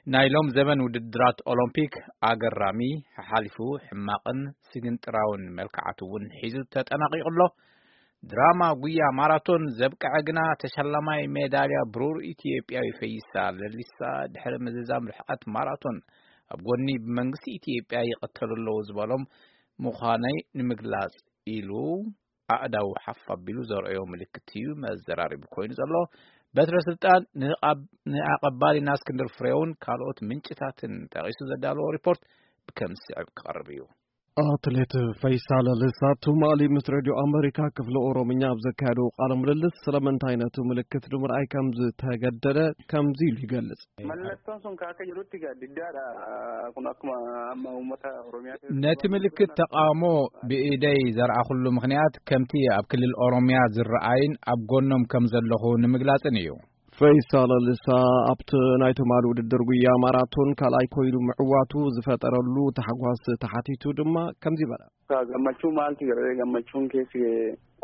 ናይ ሎም ዘበን ውድድራት ኦሎምፒክ ኣገራሚ፣ ሓሓሊፉ ሕማቕን ስግንጥራውን መልክዓት እውን ሒዙ ተጠናቒቑ ኣሎ። ድራማ ጉያ ማራቶን ዘብቅዐ ግና፣ ተሸላማይ ሜዳልያ ብሩር ኢትዮጵያዊ ፈይሳ ለሊሳ፣ ድሕሪ ምዝዛም ርሕቐት ማራቶን ኣብ ጎኒ ብመንግስቲ ኢትዮጵያ ይቐተሉ ኣለዉ ዝበሎም ምዃነይ ንምግላጽ ኢሉ ኣእዳው ሓፍ ኣቢሉ ዘርእዮ ምልክት እዩ መዘራረቢ ኮይኑ ዘሎ። በትረ ስልጣን ንኣቐባሊና እስክንድር ፍሬውን ካልኦት ምንጭታትን ጠቒሱ ዘዳለዎ ሪፖርት ከም ዝስዕብ ክቐርብ እዩ። ኣትሌት ፈይሳ ለልሳ ትማሊ ምስ ሬድዮ ኣመሪካ ክፍሊ ኦሮምኛ ኣብ ዘካየደው ቃለ ምልልስ፣ ስለምንታይ ነቲ ምልክት ንምርኣይ ከም ዝተገደደ ከምዚ ኢሉ ይገልጽ። Mallattoon sun kaaka jedhutti gaaddidaadha. Kun akkuma amma uummata Oromiyaa ነቲ ምልክት ተቓውሞ ብኢደይ ዘርኣኹሉ ምኽንያት፣ ከምቲ ኣብ ክልል ኦሮምያ ዝረኣይን ኣብ ጎኖም ከም ዘለኹ ንምግላጽን እዩ። ፈይሳ ለልሳ ኣብቲ ናይ ትማሊ ውድድር ጉያ ማራቶን ካልኣይ ኮይኑ ምዕዋቱ ዝፈጠረሉ ታሕጓስ ተሓቲቱ ድማ ከምዚ በለ። Gammachuu maaltu jedhee gammachuun keessi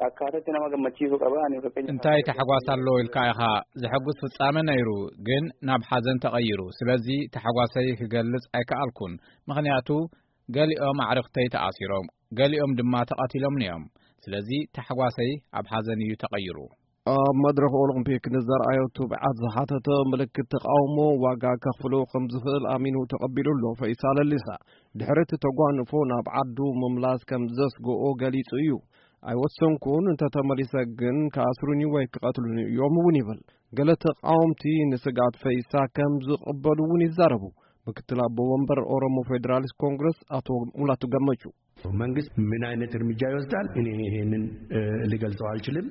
akkaataa itti nama gammachiisu qaba. Ani fakkeenya እንታይ ታሕጓስ ኣሎ ኢልካ ኢኻ? ዘሐጉስ ፍጻመ ነይሩ፣ ግን ናብ ሓዘን ተቐይሩ። ስለዚ ታሕጓሰይ ክገልጽ ኣይከኣልኩን። ምኽንያቱ፣ ገሊኦም ኣዕርኽተይ ተኣሲሮም፣ ገሊኦም ድማ ተቐቲሎም እዮም። ስለዚ ታሕጓሰይ ኣብ ሓዘን እዩ ተቐይሩ። ኣብ መድረኽ ኦሎምፒክ ንዘርኣዮ ትብዓት ዝሓተተ ምልክት ተቓውሞ ዋጋ ከኽፍሎ ከም ዝኽእል ኣሚኑ ተቐቢሉ ኣሎ። ፈይሳ ለሊሳ ድሕሪ እቲ ተጓንፎ ናብ ዓዱ ምምላስ ከም ዘስግኦ ገሊጹ እዩ። ኣይወሰንኩን፣ እንተተመሊሰ ግን ክኣስሩኒ ወይ ክቐትሉኒ እዮም እውን ይብል። ገለ ተቓወምቲ ንስግኣት ፈይሳ ከም ዝቕበሉ እውን ይዛረቡ። ምክትል ኣቦ ወንበር ኦሮሞ ፌዴራሊስት ኮንግረስ ኣቶ ሙላቱ ገመቹ። መንግስት ምን አይነት እርምጃ ይወስዳል? እኔ ይሄንን ልገልጸው አልችልም።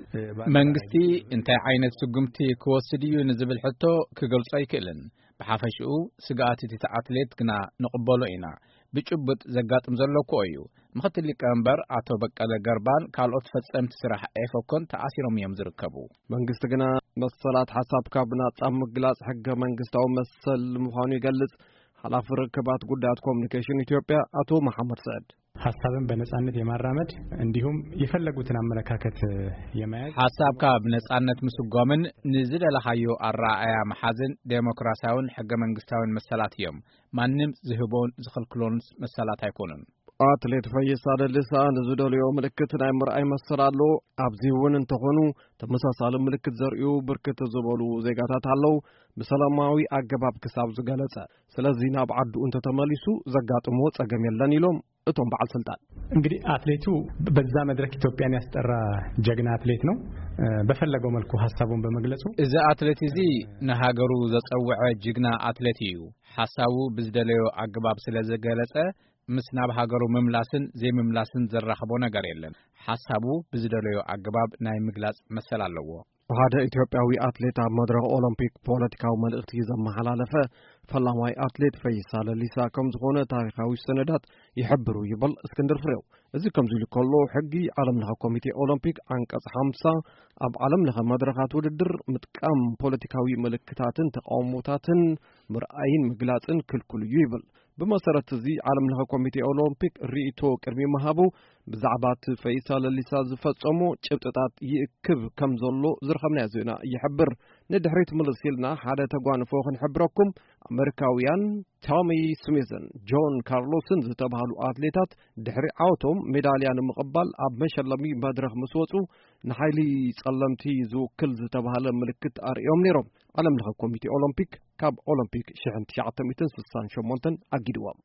መንግስቲ እንታይ ዓይነት ስጉምቲ ክወስድ እዩ ንዝብል ሕቶ ክገልጾ ኣይክእልን። ብሓፈሽኡ ስግኣት እቲ ኣትሌት ግና ንቕበሎ ኢና። ብጭቡጥ ዘጋጥም ዘሎ እኮ እዩ። ምኽትል ሊቀመንበር ኣቶ በቀለ ገርባን ካልኦት ፈጸምቲ ስራሕ ኤፈኮን ተኣሲሮም እዮም ዝርከቡ። መንግስቲ ግና መሰላት ሓሳብ ካብ ናጻ ምግላጽ ሕገ መንግስታዊ መሰል ምዃኑ ይገልጽ። ሓላፊ ርክባት ጉዳያት ኮሚኒኬሽን ኢትዮጵያ ኣቶ መሓመድ ስዕድ። ሐሳብን በነጻነት የማራመድ እንዲሁም የፈለጉትን አመለካከት የመያዝ ሓሳብካ ብነጻነት ምስጓምን ንዝደለኻዮ ኣረኣእያ መሓዝን ዴሞክራሲያውን ሕገ መንግስታውን መሰላት እዮም። ማንም ዝህቦን ዝኽልክሎን መሰላት ኣይኮኑን። ኣትሌት ፈይሳ ለልሳ ንዝደልዮ ምልክት ናይ ምርኣይ መሰል ኣሎ። ኣብዚ እውን እንተኾኑ ተመሳሳሊ ምልክት ዘርእዩ ብርክት ዝበሉ ዜጋታት ኣለዉ፣ ብሰላማዊ ኣገባብ ክሳብ ዝገለጸ። ስለዚ ናብ ዓዱ እንተተመሊሱ ዘጋጥሞ ጸገም የለን ኢሎም እቶም በዓል ስልጣን። እንግዲህ አትሌቱ በዛ መድረክ ኢትዮጵያን ያስጠራ ጀግና አትሌት ነው። በፈለገው መልኩ ሐሳቡን በመግለጹ እዚ ኣትሌት እዚ ንሃገሩ ዘጸውዐ ጅግና ኣትሌት እዩ። ሓሳቡ ብዝደለዮ ኣገባብ ስለ ዝገለጸ፣ ምስ ናብ ሃገሩ ምምላስን ዘይምምላስን ዘራኽቦ ነገር የለን። ሓሳቡ ብዝደለዮ ኣገባብ ናይ ምግላጽ መሰል ኣለዎ። ሓደ ኢትዮጵያዊ ኣትሌት ኣብ መድረኽ ኦሎምፒክ ፖለቲካዊ መልእኽቲ ዘመሓላለፈ ፈላማይ ኣትሌት ፈይሳ ለሊሳ ከም ዝኾነ ታሪኻዊ ሰነዳት ይሕብሩ ይብል እስክንድር ፍሬው። እዚ ከምዚ ኢሉ ከሎ፣ ሕጊ ዓለም ለኸ ኮሚቴ ኦሎምፒክ ዓንቀጽ ሓምሳ ኣብ ዓለም ለኸ መድረኻት ውድድር ምጥቃም ፖለቲካዊ ምልክታትን ተቃውሞታትን ምርኣይን ምግላጽን ክልኩል እዩ ይብል። ብመሰረት እዚ ዓለም ለኸ ኮሚቴ ኦሎምፒክ ርእይቶ ቅድሚ ምሃቡ ብዛዕባ እቲ ፈይሳ ለሊሳ ዝፈጸሞ ጭብጥታት ይእክብ ከም ዘሎ ዝረኸብናዮ ዜና ይሕብር። ንድሕሪት ምልስ ኢልና ሓደ ተጓንፎ ክንሕብረኩም። ኣመሪካውያን ቶሚ ስሚዝን ጆን ካርሎስን ዝተባህሉ ኣትሌታት ድሕሪ ዓወቶም ሜዳልያ ንምቕባል ኣብ መሸለሚ መድረኽ ምስ ወጹ ንሓይሊ ጸለምቲ ዝውክል ዝተባህለ ምልክት ኣርእዮም ነይሮም። ዓለም ለኸ ኮሚቴ ኦሎምፒክ ካብ ኦሎምፒክ ሽሕን ትሽዓተ ሚእትን ስሳን ሸሞንተን ኣጊድዎም።